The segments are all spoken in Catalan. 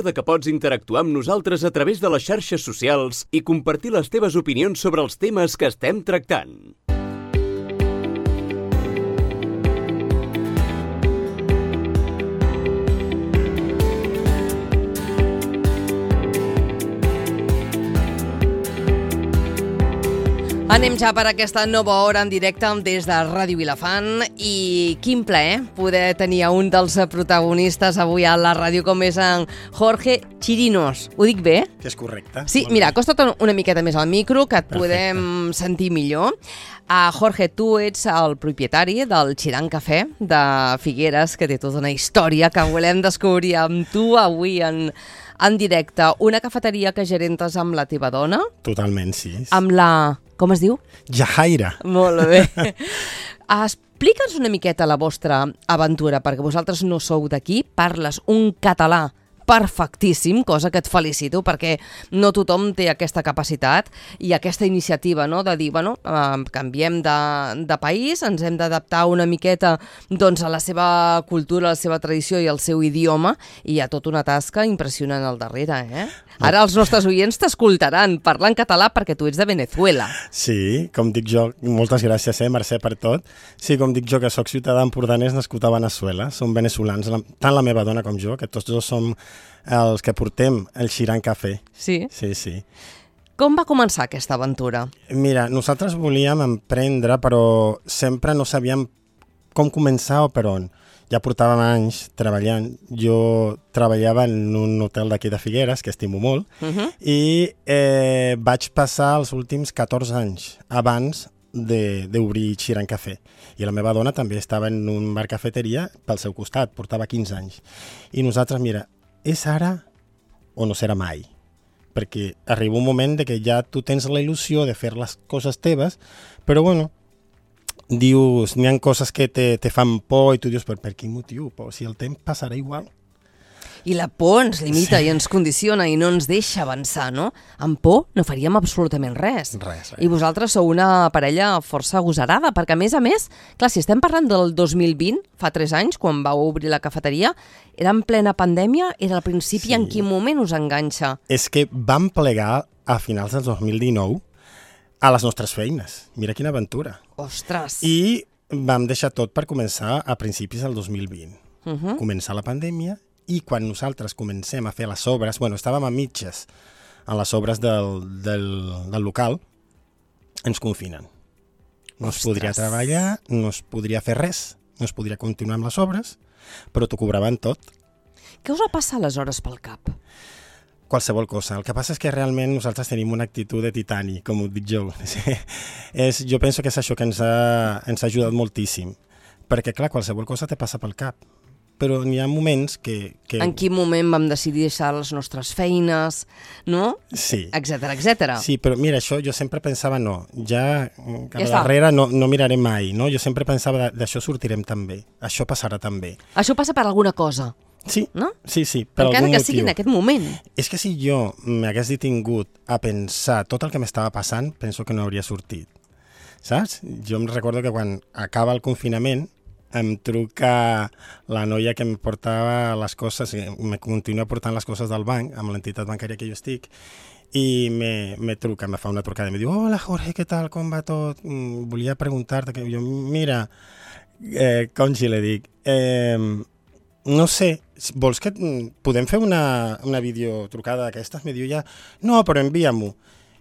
que pots interactuar amb nosaltres a través de les xarxes socials i compartir les teves opinions sobre els temes que estem tractant. Anem ja per aquesta nova hora en directe des de Ràdio Vilafant i quin plaer poder tenir un dels protagonistes avui a la ràdio com és en Jorge Chirinos. Ho dic bé? Que és correcte. Sí, mira, acosta't una miqueta més al micro que et podem sentir millor. Jorge, tu ets el propietari del Chiran Cafè de Figueres, que té tota una història que volem descobrir amb tu avui en directe. Una cafeteria que gerentes amb la teva dona. Totalment, sí. Amb la... Com es diu? Jahaira. Molt bé. Explica'ns una miqueta la vostra aventura, perquè vosaltres no sou d'aquí, parles un català perfectíssim, cosa que et felicito, perquè no tothom té aquesta capacitat i aquesta iniciativa, no?, de dir, bueno, canviem de país, ens hem d'adaptar una miqueta doncs, a la seva cultura, a la seva tradició i al seu idioma, i hi ha tota una tasca impressionant al darrere, eh? Ara els nostres oients t'escoltaran parlar en català perquè tu ets de Venezuela. Sí, com dic jo, moltes gràcies, Mercè, per tot. Sí, com dic jo, que sóc ciutadà empordanès nascut a Venezuela, som veneçolans, tant la meva dona com jo, que tots dos som els que portem el Chiran Cafè. Sí? Sí, sí. Com va començar aquesta aventura? Mira, nosaltres volíem emprendre, però sempre no sabíem com començar o per on. Ja portàvem anys treballant. Jo treballava en un hotel d'aquí de Figueres, que estimo molt, i vaig passar els últims 14 anys abans d'obrir Chiran Cafè. I la meva dona també estava en un bar cafeteria pel seu costat, portava 15 anys. I nosaltres, mira, és ara o no serà mai? Perquè arriba un moment de que ja tu tens la il·lusió de fer les coses teves, però bueno, dius, n'hi ha coses que te fan por i tu dius, per quin motiu? Però si el temps passarà igual. I la por ens limita i ens condiciona i no ens deixa avançar, no? Amb por no faríem absolutament res. Res. I vosaltres sou una parella força agosarada, perquè a més, clar, si estem parlant del 2020, fa 3 anys, quan vau obrir la cafeteria, era en plena pandèmia, era al principi, en quin moment us enganxa? És que vam plegar a finals del 2019 a les nostres feines. Mira quina aventura. Ostres! I vam deixar tot per començar a principis del 2020. Començar la pandèmia i quan nosaltres comencem a fer les obres, bueno, estàvem a mitges a les obres del local, ens confinen. No es podria treballar, no es podria fer res, no es podria continuar amb les obres, però t'ho cobraven tot. Què us va passar aleshores pel cap? Qualsevol cosa. El que passa és que realment nosaltres tenim una actitud de titani, com ho dic jo. Jo penso que és això que ens ha ajudat moltíssim. Perquè, clar, qualsevol cosa te passa pel cap. Però n'hi ha moments que... En quin moment vam decidir deixar les nostres feines, no? Sí. Etcètera, etcètera. Sí, però mira, això jo sempre pensava, no, ja cap darrere no miraré mai, no? Jo sempre pensava, d'això sortirem també, això passarà també. Això passa per alguna cosa. Sí, no? Sí, per algun motiu. Encara que sigui en aquest moment. És que si jo m'hagués detingut a pensar tot el que m'estava passant, penso que no hauria sortit. Saps? Jo em recordo que quan acaba el confinament em truca la noia que em portava les coses, me continua portant les coses del banc, amb l'entitat bancària que jo estic, i me truca, me fa una trucada i me diu, hola Jorge, què tal, com va tot? Volia preguntar-te, que jo, mira, Conchi, le dic, no sé, vols que podem fer una videotrucada d'aquestes? Me diu ja, no, però envia-m'ho.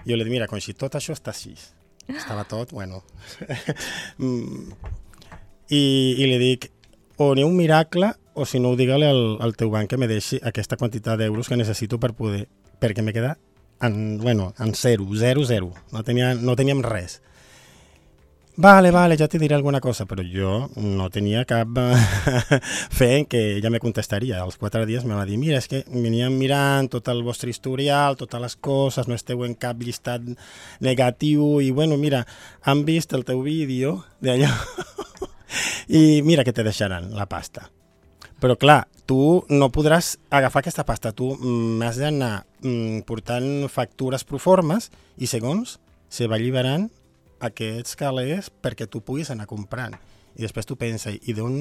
Jo li dic, mira, Conchi, tot això està així. Estava tot, bueno... I li dic, o n'hi ha un miracle, o si no, digue-li al teu banc que me deixi aquesta quantitat d'euros que necessito perquè me queda en zero. No teníem res. Vale, ja te diré alguna cosa, però jo no tenia cap fe en que ella me contestaria. Als 4 dies me va dir, mira, és que veníem mirant tot el vostre historial, totes les coses, no esteu en cap llistat negatiu, i bueno, mira, han vist el teu vídeo d'allò... I mira que te deixaran la pasta. Però clar, tu no podràs agafar aquesta pasta, tu m'has d'anar portant factures proformes i segons se va alliberant aquests calés perquè tu puguis anar comprant. I després tu penses, i d'on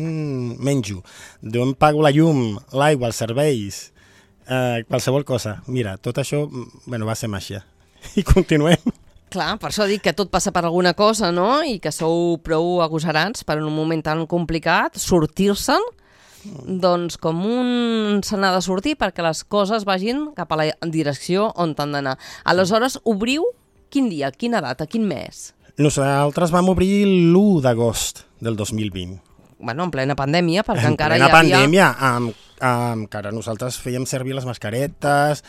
menjo? D'on pago la llum, l'aigua, els serveis? qualsevol cosa. Mira, tot això va ser màgia. I continuem. Clar, per això dic que tot passa per alguna cosa, no? I que sou prou agosarats per en un moment tan complicat, sortir-se'n, doncs com un se n'ha de sortir perquè les coses vagin cap a la direcció on han d'anar. Aleshores, obriu quin dia, quina data, quin mes? Nosaltres vam obrir l'1 d'agost del 2020. Bueno, en plena pandèmia, perquè encara hi havia... En plena pandèmia, encara nosaltres fèiem servir les mascaretes,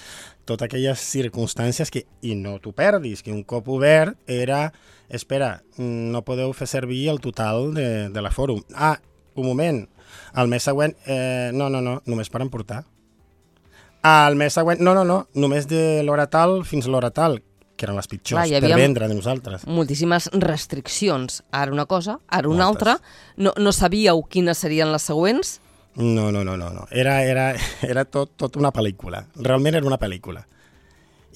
totes aquelles circumstàncies que, i no t'ho perdis, que un cop obert era, espera, no podeu fer servir el total de la fòrum. Un moment, el mes següent, no, només per emportar. El mes següent, no, només de l'hora tal fins l'hora tal, que eren les pitjors per vendre de nosaltres. Moltíssimes restriccions. Ara una cosa, ara una altra. No sabíeu quines serien les següents? No. Era tot una pel·lícula. Realment era una pel·lícula.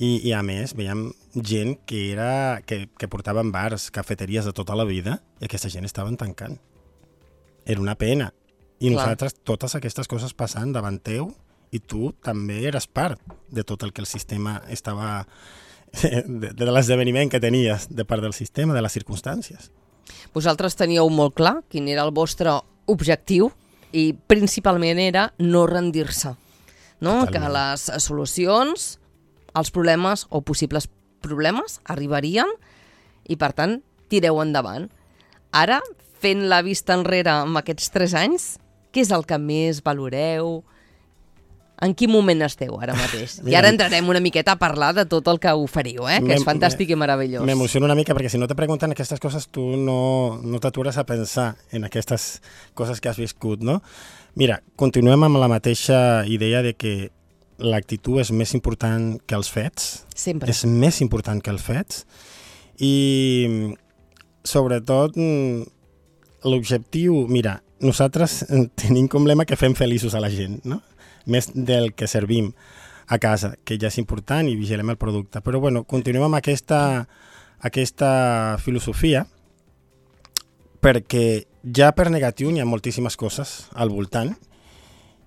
I a més, veiem gent que portaven bars, cafeteries de tota la vida, i aquesta gent estaven tancant. Era una pena. I nosaltres, totes aquestes coses passant davant teu, i tu també eres part de tot el que el sistema estava... de l'esdeveniment que tenies de part del sistema, de les circumstàncies. Vosaltres teníeu molt clar quin era el vostre objectiu i principalment era no rendir-se, no? Totalment. Que les solucions, els problemes o possibles problemes arribarien i, per tant, tireu endavant. Ara, fent la vista enrere amb aquests 3 anys, què és el que més valoreu? En quin moment esteu ara mateix? I ara entrarem una miqueta a parlar de tot el que oferiu, que és fantàstic i meravellós. M'emociono una mica perquè si no te pregunten aquestes coses tu no t'atures a pensar en aquestes coses que has viscut, no? Mira, continuem amb la mateixa idea de que l'actitud és més important que els fets. Sempre. És més important que els fets. I sobretot l'objectiu, mira, nosaltres tenim com lema que fem feliços a la gent, no? Més del que servim a casa, que ja és important i vigilem el producte. Però bueno, continuem amb aquesta filosofia perquè ja per negatiu n'hi ha moltíssimes coses al voltant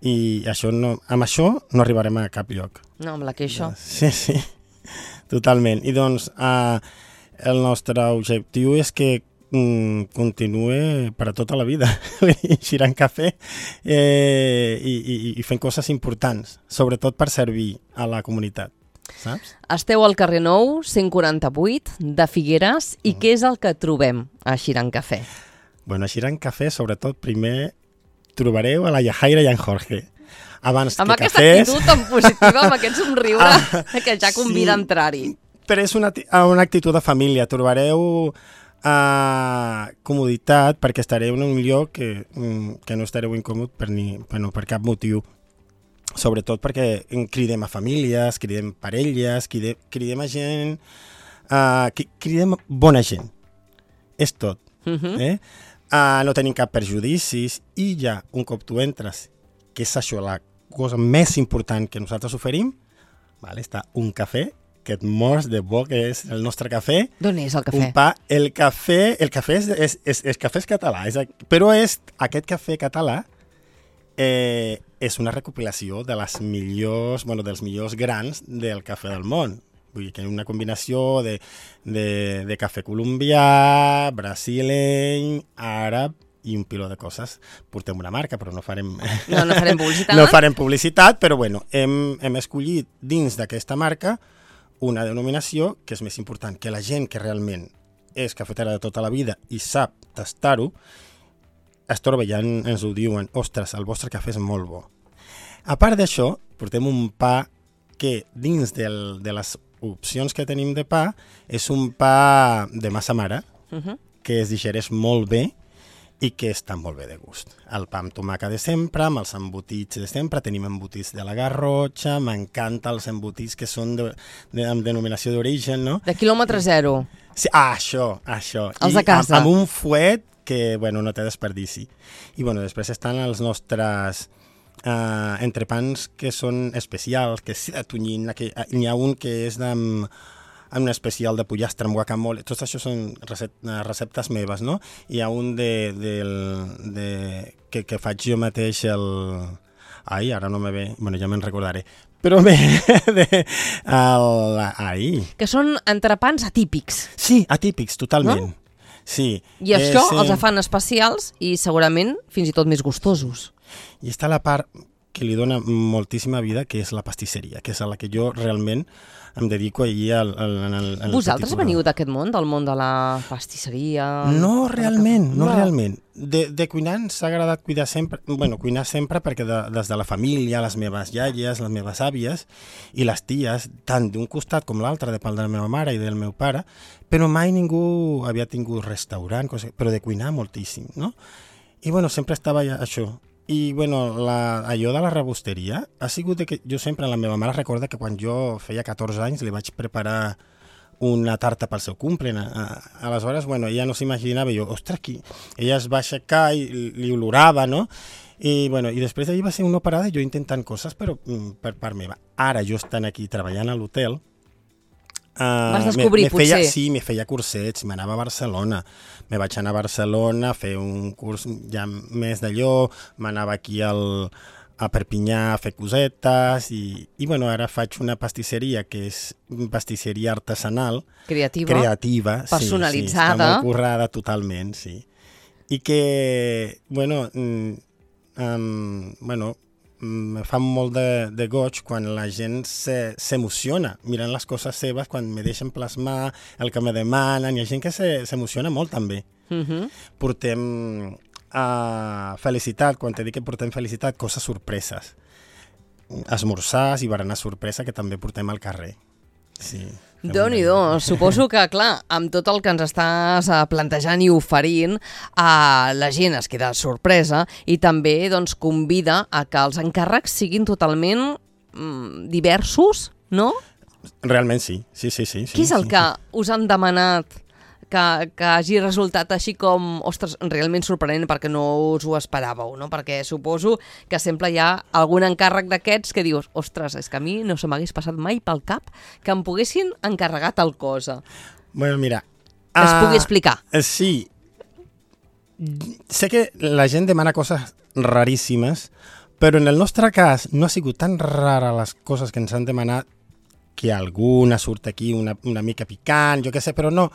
i amb això no arribarem a cap lloc. No, amb la queixa. Sí, totalment. I doncs el nostre objectiu és que continue per a tota la vida girant cafè i fent coses importants, sobretot per servir a la comunitat, saps? Esteu al carrer Nou, 148 de Figueres, i què és el que trobem a Xirant Cafè? Bueno, a Xirant Cafè, sobretot, primer trobareu a la Yajaira i en Jorge. Abans amb que aquesta cafès... actitud tan positiva, amb aquest somriure que ja convida a entrar-hi. Però és una actitud de família. Trobareu comoditat perquè estareu en un lloc que no estareu incòmod per cap motiu. Sobretot perquè cridem a famílies, cridem parelles, cridem a gent, cridem bona gent. És tot. No tenim cap perjudicis i ja, un cop tu entres, que és això la cosa més important que nosaltres oferim, està un cafè que et mors de bo, que és el nostre cafè. D'on és el cafè? Un pa. El cafè és català, però aquest cafè català és una recopilació de dels millors grans del cafè del món. Vull dir que és una combinació de cafè colombià, brasileny, àrab i un piló de coses. Portem una marca, però no farem publicitat. No farem publicitat, però hem escollit dins d'aquesta marca una denominació que és més important, que la gent que realment és cafetera de tota la vida i sap tastar-ho, es troba i ja ens ho diuen, ostres, el vostre cafè és molt bo. A part d'això, portem un pa que dins de les opcions que tenim de pa és un pa de massa mare, que es digereix molt bé i que està molt bé de gust. El pa amb tomàquet de sempre, amb els embotits de sempre, tenim embotits de la Garrotxa, m'encanta els embotits que són amb denominació d'origen, no? De quilòmetre zero. Sí, això. Els de casa. Amb un fuet que, no té desperdici. I, després estan els nostres entrepans que són especials, que és de tonyina, n'hi ha un que és amb un especial de pollastre amb guacamole. Tots això són receptes meves, no? Hi ha un que faig jo mateix ara no me ve, ja me'n recordaré. Però bé, ahir. Que són entrepans atípics. Sí, atípics, totalment. No? Sí. I això els fan especials i segurament fins i tot més gustosos. I està la part que li dona moltíssima vida, que és la pastisseria, que és a la que jo realment em dedico allí al Vosaltres veniu d'aquest món, del món de la pastisseria? No, realment, no realment. De cuinar ens ha agradat cuinar sempre perquè des de la família, les meves iaies, les meves àvies i les ties, tant d'un costat com l'altre, de part de la meva mare i del meu pare, però mai ningú havia tingut restaurant, però de cuinar moltíssim, no? I sempre estava això. I allò de la rebosteria ha sigut que jo sempre, la meva mare recorda que quan jo feia 14 anys li vaig preparar una tarta pel seu cumple. Aleshores, ella no s'imaginava, ostres, ella es va aixecar i li olorava, no? I després d'allí va ser una parada jo intentant coses, però per part meva. Ara jo estant aquí treballant a l'hotel, vas descobrir, potser? Sí, me feia cursets, m'anava a Barcelona. Me vaig anar a Barcelona a fer un curs ja més d'allò, m'anava aquí a Perpinyà a fer cosetes i ara faig una pastisseria que és pastisseria artesanal. Creativa, personalitzada. Sí, està molt currada totalment, sí. I que, me fa molt de goig quan la gent s'emociona mirant les coses seves, quan me deixen plasmar el que me demanen. Hi ha gent que s'emociona molt també. Portem felicitat, quan te dic que portem felicitat, coses sorpreses. Esmorzars i berenar sorpresa que també portem al carrer. Sí. Déu-n'hi-do, suposo que, clar, amb tot el que ens estàs plantejant i oferint, la gent es queda sorpresa i també convida a que els encàrrecs siguin totalment diversos, no? Realment sí. Què és el que us han demanat que hagi resultat així com, ostres, realment sorprenent perquè no us ho esperàveu, no? Perquè suposo que sempre hi ha algun encàrrec d'aquests que dius, ostres, és que a mi no se m'hagués passat mai pel cap que em poguessin encarregar tal cosa. Mira... Que es pugui explicar. Sí. Sé que la gent demana coses raríssimes, però en el nostre cas no ha sigut tan rara les coses que ens han demanat que alguna surt aquí una mica picant, jo què sé, però no...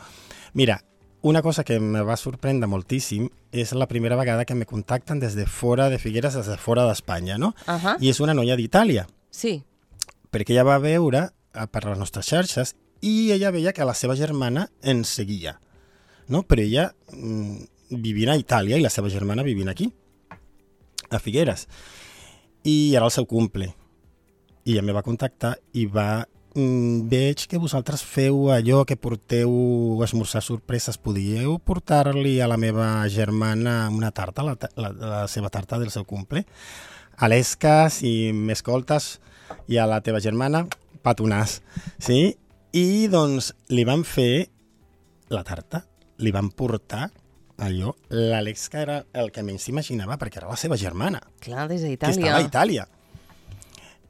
Mira, una cosa que me va sorprendre moltíssim és la primera vegada que me contacten des de fora de Figueres, des de fora d'Espanya, no? I és una noia d'Itàlia. Sí. Perquè ella va veure per les nostres xarxes i ella veia que la seva germana ens seguia, no? Però ella vivia a Itàlia i la seva germana vivia aquí, a Figueres. I era el seu cumple. I ella me va contactar i veig que vosaltres feu allò que porteu esmorzar sorpreses. Podíeu portar-li a la meva germana una tarta, la seva tarta del seu cumple? A l'Esca, si m'escoltes, i a la teva germana, petonàs. Sí? I li van fer la tarta, li van portar allò. L'Alesca era el que menys s'imaginava perquè era la seva germana. Clar, des d'Itàlia. Que estava a Itàlia.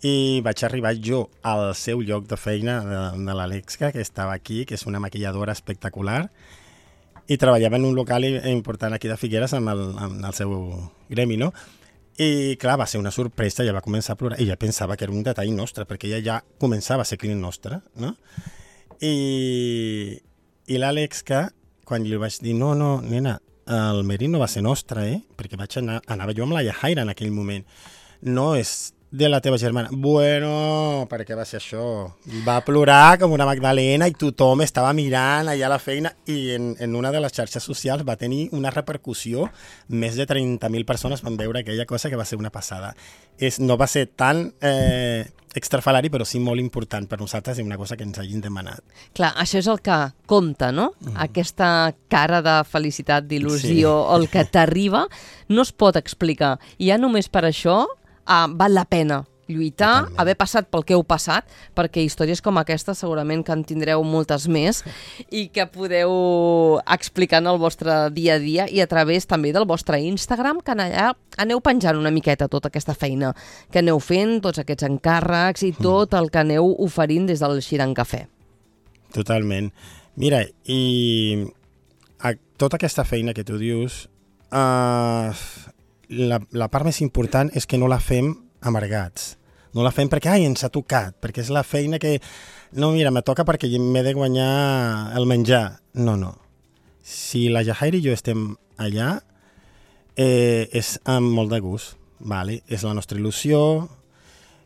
I vaig arribar jo al seu lloc de feina de l'Alexca, que estava aquí, que és una maquilladora espectacular, i treballava en un local important aquí de Figueres amb el seu gremi, no? I clar, va ser una sorpresa, ella va començar a plorar, ella pensava que era un detall nostre, perquè ella ja començava a ser client nostre, no? I l'Alexca, quan li vaig dir, no, nena, el merino va ser nostre, perquè anava jo amb la Yahaira en aquell moment, no és de la teva germana. Bueno, per què va ser això? Va plorar com una Magdalena i tothom estava mirant allà a la feina i en una de les xarxes socials va tenir una repercussió. Més de 30.000 persones van veure aquella cosa que va ser una passada. No va ser tan extrafalari, però sí molt important per nosaltres i una cosa que ens hagin demanat. Clar, això és el que compta, no? Aquesta cara de felicitat, d'il·lusió, el que t'arriba, no es pot explicar. I ja només per això val la pena lluitar, haver passat pel que heu passat, perquè històries com aquesta segurament que en tindreu moltes més i que podeu explicar en el vostre dia a dia i a través també del vostre Instagram, que allà aneu penjant una miqueta tota aquesta feina que aneu fent, tots aquests encàrrecs i tot el que aneu oferint des del Xiran Cafè. Totalment. Mira, i tota aquesta feina que tu dius, la part més important és que no la fem amargats. No la fem perquè, ens ha tocat, perquè és la feina que... No, mira, me toca perquè m'he de guanyar el menjar. No. Si la Jahair i jo estem allà, és amb molt de gust, vale? És la nostra il·lusió,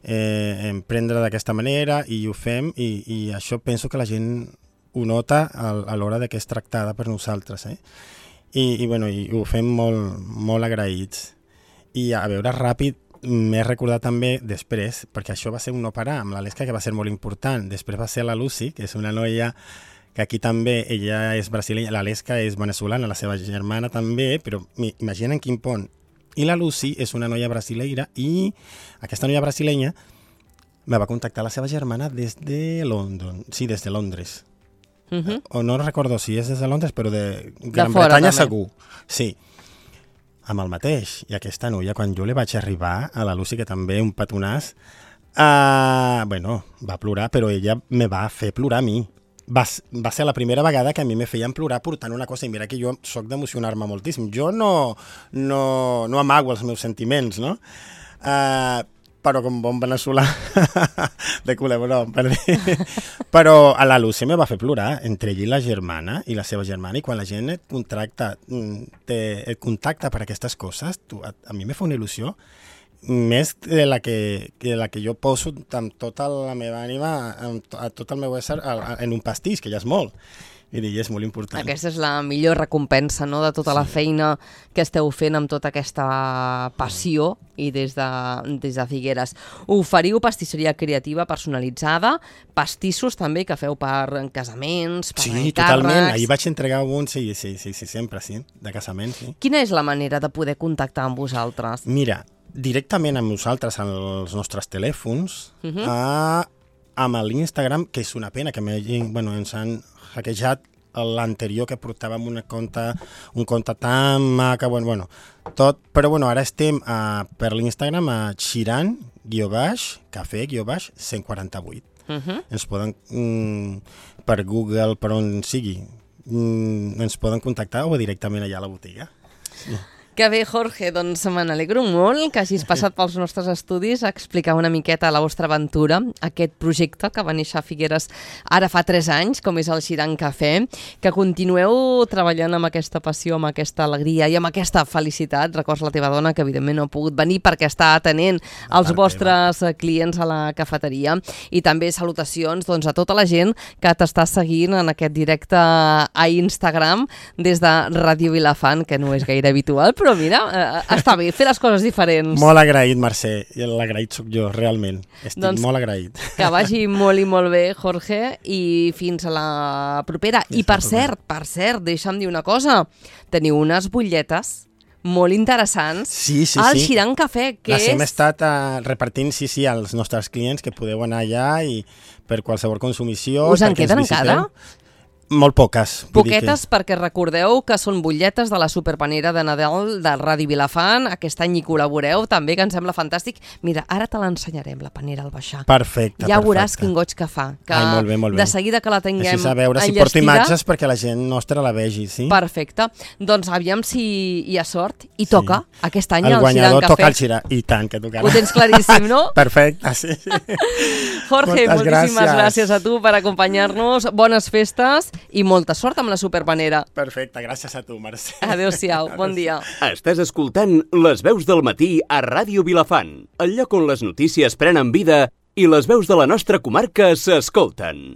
emprendre d'aquesta manera i ho fem i això penso que la gent ho nota a l'hora de que és tractada per nosaltres, I ho fem molt agraïts. I a veure, ràpid, m'he recordat també després, perquè això va ser un no parar amb l'Aleska, que va ser molt important. Després va ser la Lucy, que és una noia que aquí també, ella és brasilenya, l'Aleska és veneçolana, la seva germana també, però imaginen quin pont. I la Lucy és una noia brasileira i aquesta noia brasilenya me va contactar la seva germana des de Londres. O no recordo si és des de Londres, però de Gran Bretanya segur. Sí, amb el mateix. I aquesta noia, quan jo li vaig arribar a la Lucy, que també un petonàs, va plorar, però ella me va fer plorar a mi. Va ser la primera vegada que a mi me feien plorar portant una cosa, i mira que jo soc d'emocionar-me moltíssim. Jo no amago els meus sentiments, no? Però com bon veneçolà de culebró, per dir. Però a la Lucy me va fer plorar, entre ella i la germana, i la seva germana, i quan la gent et contacta per aquestes coses, a mi me fa una il·lusió, més de la que jo poso amb tota la meva ànima, a tot el meu ésser, en un pastís, que ja és molt. I és molt important. Aquesta és la millor recompensa, no?, de tota la feina que esteu fent amb tota aquesta passió i des de Figueres. Oferiu pastisseria creativa personalitzada, pastissos també que feu per casaments, per encàrrecs... Sí, totalment. Ahir vaig entregar un, sí, sempre, sí, de casaments. Sí. Quina és la manera de poder contactar amb vosaltres? Mira, directament amb nosaltres, als nostres telèfons, amb l'Instagram, que és una pena que ens han hackejat l'anterior, que portàvem un compte tan maca, tot, però ara estem per l'Instagram a Chiran_café_148. Ens poden, per Google, per on sigui, ens poden contactar o directament allà a la botiga. Sí. Que bé, Jorge, doncs me n'alegro molt que hagis passat pels nostres estudis a explicar una miqueta la vostra aventura, aquest projecte que va néixer a Figueres ara fa 3 anys, com és el Chiran Cafè, que continueu treballant amb aquesta passió, amb aquesta alegria i amb aquesta felicitat. Records la teva dona, que evidentment no ha pogut venir perquè està atenent els vostres clients a la cafeteria. I també salutacions a tota la gent que t'està seguint en aquest directe a Instagram des de Ràdio Vilafant, que no és gaire habitual, però mira, està bé fer les coses diferents. Molt agraït, Mercè, i l'agraït sóc jo, realment. Estic molt agraït. Que vagi molt i molt bé, Jorge, i fins a la propera. I per cert, deixa'm dir una cosa, teniu unes butlletes molt interessants al Chiran Cafè, que les hem estat repartint, als nostres clients, que podeu anar allà i per qualsevol consumició. Us en queden encara? Molt poques. Poquetes, perquè recordeu que són butlletes de la superpanera de Nadal de Ràdio Vilafant. Aquest any hi col·laboreu també, que em sembla fantàstic. Mira, ara te l'ensenyarem, la panera al baixar. Perfecte. Ja veuràs quin goig que fa. Que molt bé. De seguida que la tinguem enllestida... Així a veure si porto imatges perquè la gent nostra la vegi, sí? Perfecte. Doncs aviam si hi ha sort i toca aquest any el Chiran Cafè. El guanyador toca el Chiran. I tant que tocarà. Ho tens claríssim, no? Perfecte, sí. Jorge, moltíssimes gràcies a tu per acompanyar-nos. Bones festes i molta sort amb la superpanera. Perfecte, gràcies a tu, Mercè. Adéu-siau, bon dia. Estàs escoltant Les veus del matí a Ràdio Vilafant, el lloc on les notícies prenen vida i les veus de la nostra comarca s'escolten.